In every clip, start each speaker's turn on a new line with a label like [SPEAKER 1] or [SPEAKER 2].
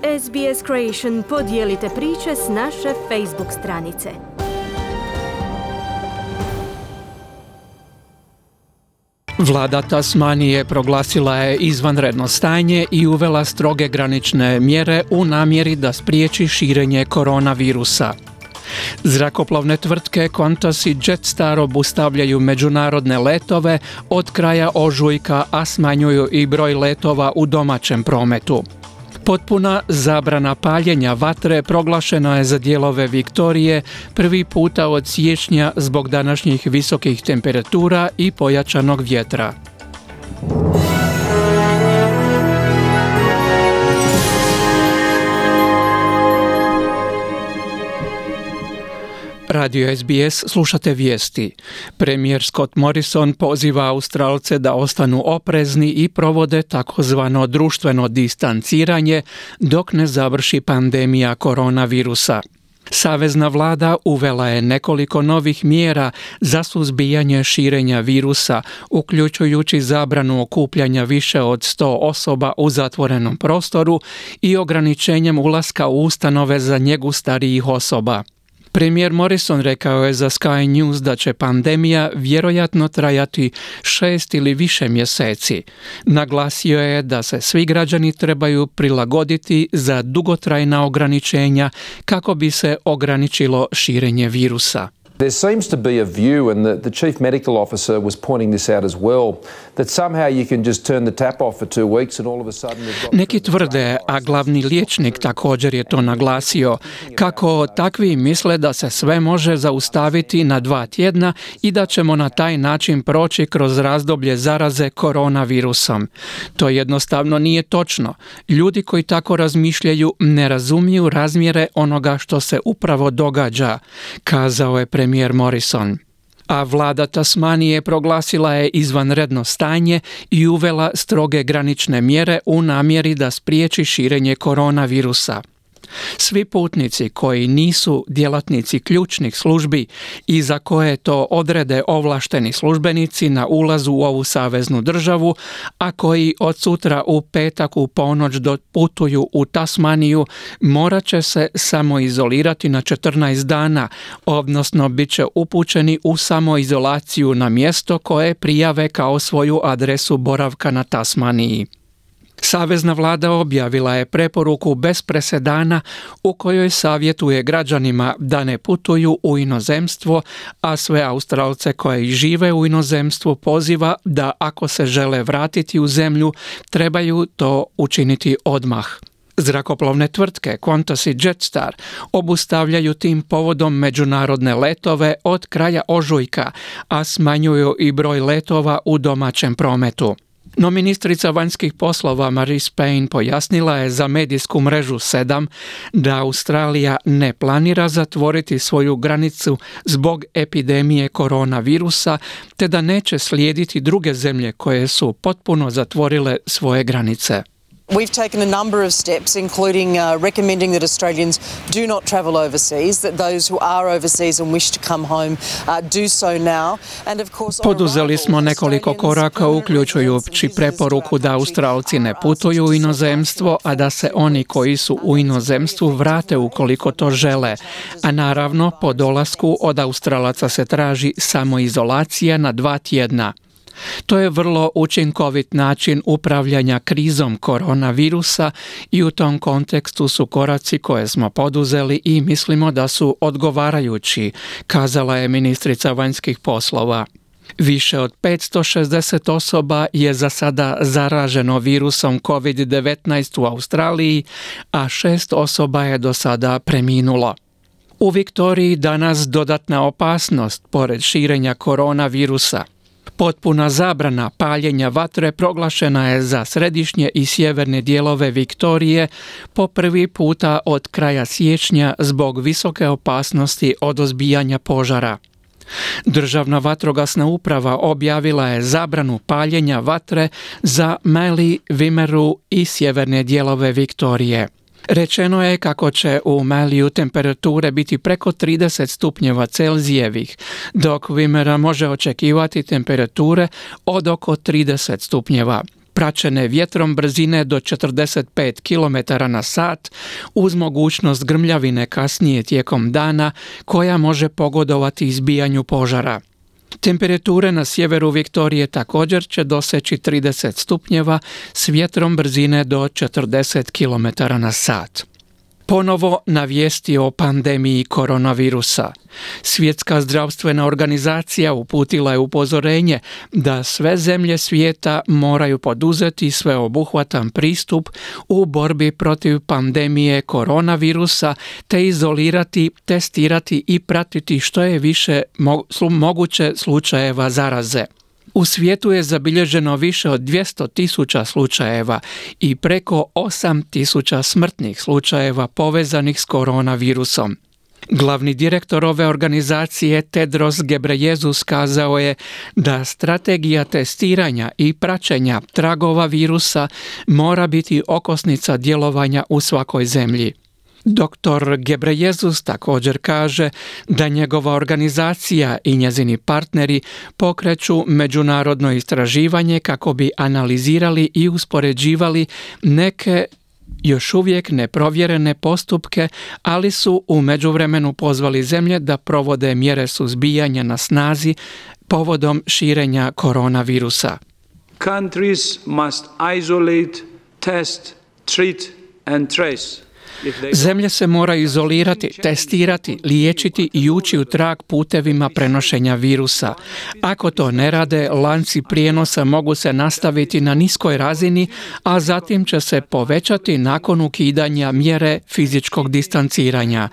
[SPEAKER 1] SBS Creation podijelite priče s naše Facebook stranice.
[SPEAKER 2] Vlada Tasmanije proglasila je izvanredno stanje i uvela stroge granične mjere u namjeri da spriječi širenje koronavirusa. Zrakoplovne tvrtke Qantas i Jetstar obustavljaju međunarodne letove od kraja ožujka, a smanjuju i broj letova u domaćem prometu. Potpuna zabrana paljenja vatre proglašena je za dijelove Viktorije prvi puta od siječnja zbog današnjih visokih temperatura i pojačanog vjetra. Radio SBS, slušate vijesti. Premijer Scott Morrison poziva Australce da ostanu oprezni i provode takozvano društveno distanciranje dok ne završi pandemija koronavirusa. Savezna vlada uvela je nekoliko novih mjera za suzbijanje širenja virusa, uključujući zabranu okupljanja više od 100 osoba u zatvorenom prostoru i ograničenjem ulaska u ustanove za njegu starijih osoba. Premijer Morrison rekao je za Sky News da će pandemija vjerojatno trajati 6 ili više mjeseci. Naglasio je da se svi građani trebaju prilagoditi za dugotrajna ograničenja kako bi se ograničilo širenje virusa.
[SPEAKER 3] There seems to be a view, and the chief medical officer was pointing this out as well, that somehow you can just turn the tap off for 2 weeks and all of a sudden you've got...
[SPEAKER 2] Neki tvrde, a glavni liječnik također je to naglasio, kako takvi misle da se sve može zaustaviti na 2 tjedna i da ćemo na taj način proći kroz razdoblje zaraze koronavirusom. To jednostavno nije točno. Ljudi koji tako razmišljaju ne razumiju razmjere onoga što se upravo događa, kazao je premijer Morrison. A vlada Tasmanije proglasila je izvanredno stanje i uvela stroge granične mjere u namjeri da spriječi širenje koronavirusa. Svi putnici koji nisu djelatnici ključnih službi i za koje to odrede ovlašteni službenici na ulazu u ovu saveznu državu, a koji od sutra u petak u ponoć putuju u Tasmaniju, morat će se samoizolirati na 14 dana, odnosno bit će upućeni u samoizolaciju na mjesto koje prijave kao svoju adresu boravka na Tasmaniji. Savezna vlada objavila je preporuku bez presedana u kojoj savjetuje građanima da ne putuju u inozemstvo, a sve Australce koji žive u inozemstvu poziva da ako se žele vratiti u zemlju, trebaju to učiniti odmah. Zrakoplovne tvrtke Qantas i Jetstar obustavljaju tim povodom međunarodne letove od kraja ožujka, a smanjuju i broj letova u domaćem prometu. No ministrica vanjskih poslova Marise Payne pojasnila je za medijsku mrežu 7 da Australija ne planira zatvoriti svoju granicu zbog epidemije koronavirusa, te da neće slijediti druge zemlje koje su potpuno zatvorile svoje granice.
[SPEAKER 4] We've taken a number of steps, including recommending that Australians do not travel overseas, that those who are overseas and wish to come home do so now. And of course,
[SPEAKER 2] poduzeli smo nekoliko koraka, uključujući preporuku da Australci ne putuju u inozemstvo, a da se oni koji su u inozemstvu vrate ukoliko to žele. A naravno, po dolasku od Australaca se traži samoizolacija na 2 tjedna. To je vrlo učinkovit način upravljanja krizom koronavirusa i u tom kontekstu su koraci koje smo poduzeli i mislimo da su odgovarajući, kazala je ministrica vanjskih poslova. Više od 560 osoba je za sada zaraženo virusom COVID-19 u Australiji, a 6 osoba je do sada preminulo. U Viktoriji danas dodatna opasnost pored širenja koronavirusa. Potpuna zabrana paljenja vatre proglašena je za središnje i sjeverne dijelove Viktorije po prvi puta od kraja siječnja zbog visoke opasnosti od ozbijanja požara. Državna vatrogasna uprava objavila je zabranu paljenja vatre za Mallee, Wimmera i sjeverne dijelove Viktorije. Rečeno je kako će u Malleeu temperature biti preko 30 stupnjeva Celzijevih, dok Wimmera može očekivati temperature od oko 30 stupnjeva. praćene vjetrom brzine do 45 km na sat uz mogućnost grmljavine kasnije tijekom dana koja može pogodovati izbijanju požara. Temperature na sjeveru Viktorije također će doseći 30 stupnjeva s vjetrom brzine do 40 km na sat. Ponovo na vijesti o pandemiji koronavirusa. Svjetska zdravstvena organizacija uputila je upozorenje da sve zemlje svijeta moraju poduzeti sveobuhvatan pristup u borbi protiv pandemije koronavirusa te izolirati, testirati i pratiti što je više moguće slučajeva zaraze. U svijetu je zabilježeno više od 200.000 slučajeva i preko 8.000 smrtnih slučajeva povezanih s koronavirusom. Glavni direktor ove organizacije Tedros Ghebreyesus kazao je da strategija testiranja i praćenja tragova virusa mora biti okosnica djelovanja u svakoj zemlji. Dr. Ghebreyesus također kaže da njegova organizacija i njezini partneri pokreću međunarodno istraživanje kako bi analizirali i uspoređivali neke još uvijek neprovjerene postupke, ali su u međuvremenu pozvali zemlje da provode mjere suzbijanja na snazi povodom širenja koronavirusa.
[SPEAKER 5] Countries must isolate, test, treat and trace.
[SPEAKER 2] Zemlje se moraju izolirati, testirati, liječiti i ući u trag putevima prenošenja virusa. Ako to ne rade, lanci prijenosa mogu se nastaviti na niskoj razini, a zatim će se povećati nakon ukidanja mjere fizičkog distanciranja.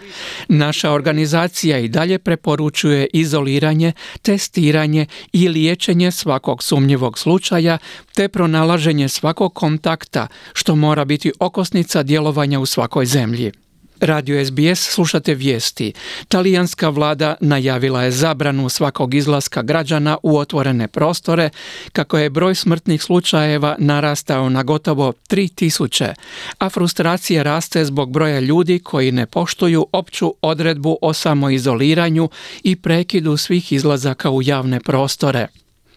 [SPEAKER 2] Naša organizacija i dalje preporučuje izoliranje, testiranje i liječenje svakog sumnjivog slučaja, te pronalaženje svakog kontakta, što mora biti okosnica djelovanja u svakoj zemlji. Radio SBS slušate vijesti. Talijanska vlada najavila je zabranu svakog izlaska građana u otvorene prostore, kako je broj smrtnih slučajeva narastao na gotovo 3.000, a frustracija raste zbog broja ljudi koji ne poštuju opću odredbu o samoizoliranju i prekidu svih izlazaka u javne prostore.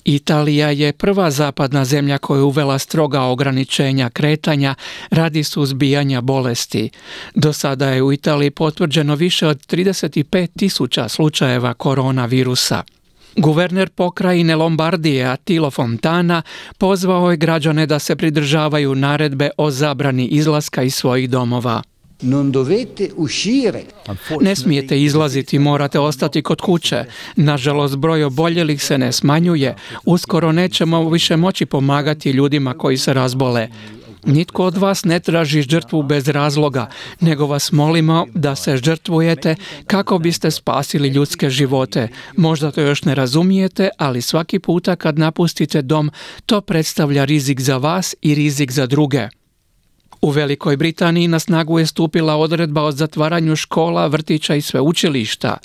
[SPEAKER 2] Italija je prva zapadna zemlja koja je uvela stroga ograničenja kretanja radi suzbijanja bolesti. Do sada je u Italiji potvrđeno više od 35.000 slučajeva koronavirusa. Guverner pokrajine Lombardije Attilo Fontana pozvao je građane da se pridržavaju naredbe o zabrani izlaska iz svojih domova. Ne smijete izlaziti, morate ostati kod kuće. Nažalost, broj oboljelih se ne smanjuje. Uskoro nećemo više moći pomagati ljudima koji se razbole. Nitko od vas ne traži žrtvu bez razloga, nego vas molimo da se žrtvujete kako biste spasili ljudske živote. Možda to još ne razumijete, ali svaki puta kad napustite dom, to predstavlja rizik za vas i rizik za druge. U Velikoj Britaniji na snagu je stupila odredba o zatvaranju škola, vrtića i sveučilišta.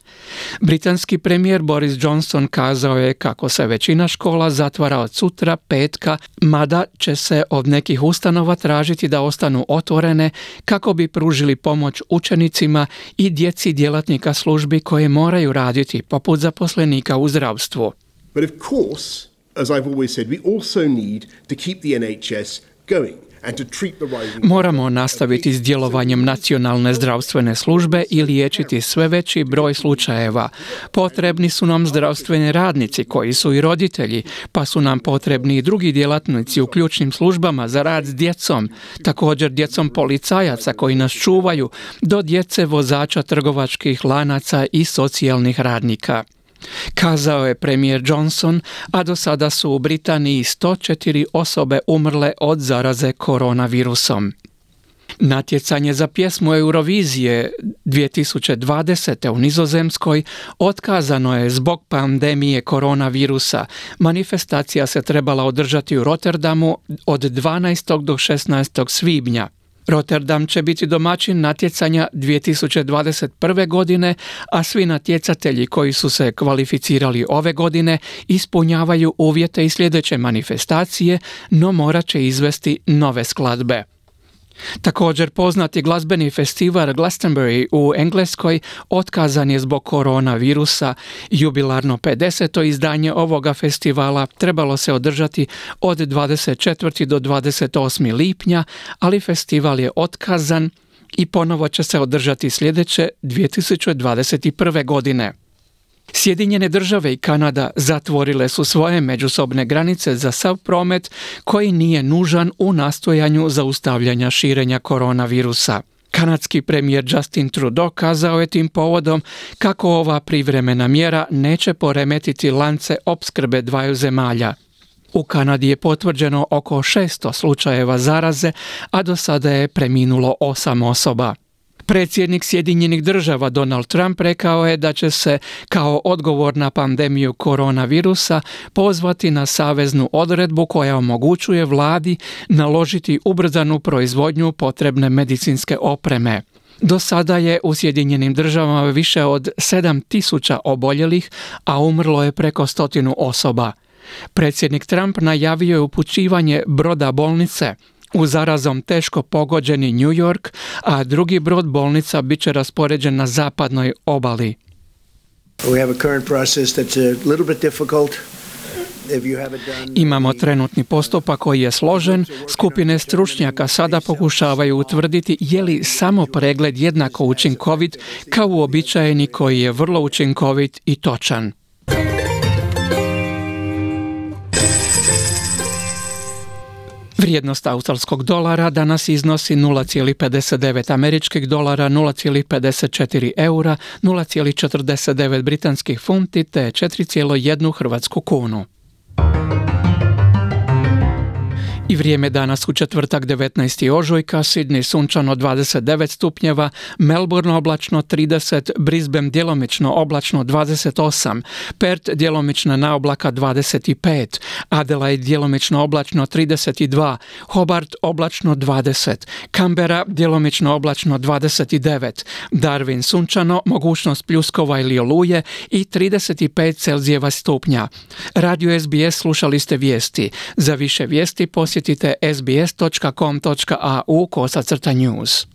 [SPEAKER 2] Britanski premijer Boris Johnson kazao je kako se većina škola zatvara od sutra, petka, mada će se od nekih ustanova tražiti da ostanu otvorene kako bi pružili pomoć učenicima i djeci djelatnika službi koje moraju raditi, poput zaposlenika u zdravstvu.
[SPEAKER 6] But of course, as I've always said, we also need to keep the NHS going.
[SPEAKER 2] Moramo nastaviti s djelovanjem nacionalne zdravstvene službe i liječiti sve veći broj slučajeva. Potrebni su nam zdravstveni radnici koji su i roditelji, pa su nam potrebni i drugi djelatnici u ključnim službama za rad s djecom, također djecom policajaca koji nas čuvaju, do djece vozača trgovačkih lanaca i socijalnih radnika. Kazao je premijer Johnson, a do sada su u Britaniji 104 osobe umrle od zaraze koronavirusom. Natjecanje za pjesmu Eurovizije 2020. u Nizozemskoj otkazano je zbog pandemije koronavirusa. Manifestacija se trebala održati u Rotterdamu od 12. do 16. svibnja. Rotterdam će biti domaćin natjecanja 2021. godine, a svi natjecatelji koji su se kvalificirali ove godine ispunjavaju uvjete i sljedeće manifestacije, no morat će izvesti nove skladbe. Također poznati glazbeni festival Glastonbury u Engleskoj otkazan je zbog koronavirusa. Jubilarno 50. izdanje ovoga festivala trebalo se održati od 24. do 28. lipnja, ali festival je otkazan i ponovo će se održati sljedeće 2021. godine. Sjedinjene države i Kanada zatvorile su svoje međusobne granice za sav promet koji nije nužan u nastojanju zaustavljanja širenja koronavirusa. Kanadski premijer Justin Trudeau kazao je tim povodom kako ova privremena mjera neće poremetiti lance opskrbe dvaju zemalja. U Kanadi je potvrđeno oko 600 slučajeva zaraze, a do sada je preminulo 8 osoba. Predsjednik Sjedinjenih država Donald Trump rekao je da će se kao odgovor na pandemiju koronavirusa pozvati na saveznu odredbu koja omogućuje vladi naložiti ubrzanu proizvodnju potrebne medicinske opreme. Do sada je u Sjedinjenim državama više od 7.000 oboljelih, a umrlo je preko 100 osoba. Predsjednik Trump najavio je upućivanje broda bolnice u zarazom teško pogođeni New York, a drugi brod bolnica bit će raspoređen na zapadnoj obali. Imamo trenutni postupak koji je složen. Skupine stručnjaka sada pokušavaju utvrditi je li samo pregled jednako učinkovit kao uobičajeni koji je vrlo učinkovit i točan. Vrijednost australskog dolara danas iznosi 0,59 američkih dolara, 0,54 eura, 0,49 britanskih funti te 4,1 hrvatsku kunu. I vrijeme danas u četvrtak 19. ožujka, Sydney sunčano 29 stupnjeva, Melbourne oblačno 30, Brisbane djelomično oblačno 28, Perth djelomično na oblaka 25, Adelaide djelomično oblačno 32, Hobart oblačno 20, Canberra djelomično oblačno 29, Darwin sunčano, mogućnost pljuskova ili oluje i 35 Celzijeva stupnja. Radio SBS slušali ste vijesti. Za više vijesti posjetite sbs.com.au/news.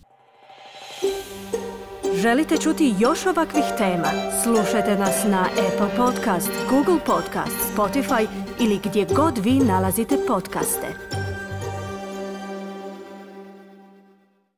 [SPEAKER 1] Želite čuti još ovakvih tema? Slušajte nas na Apple Podcast, Google Podcast, Spotify ili gdje god vi nalazite podcaste.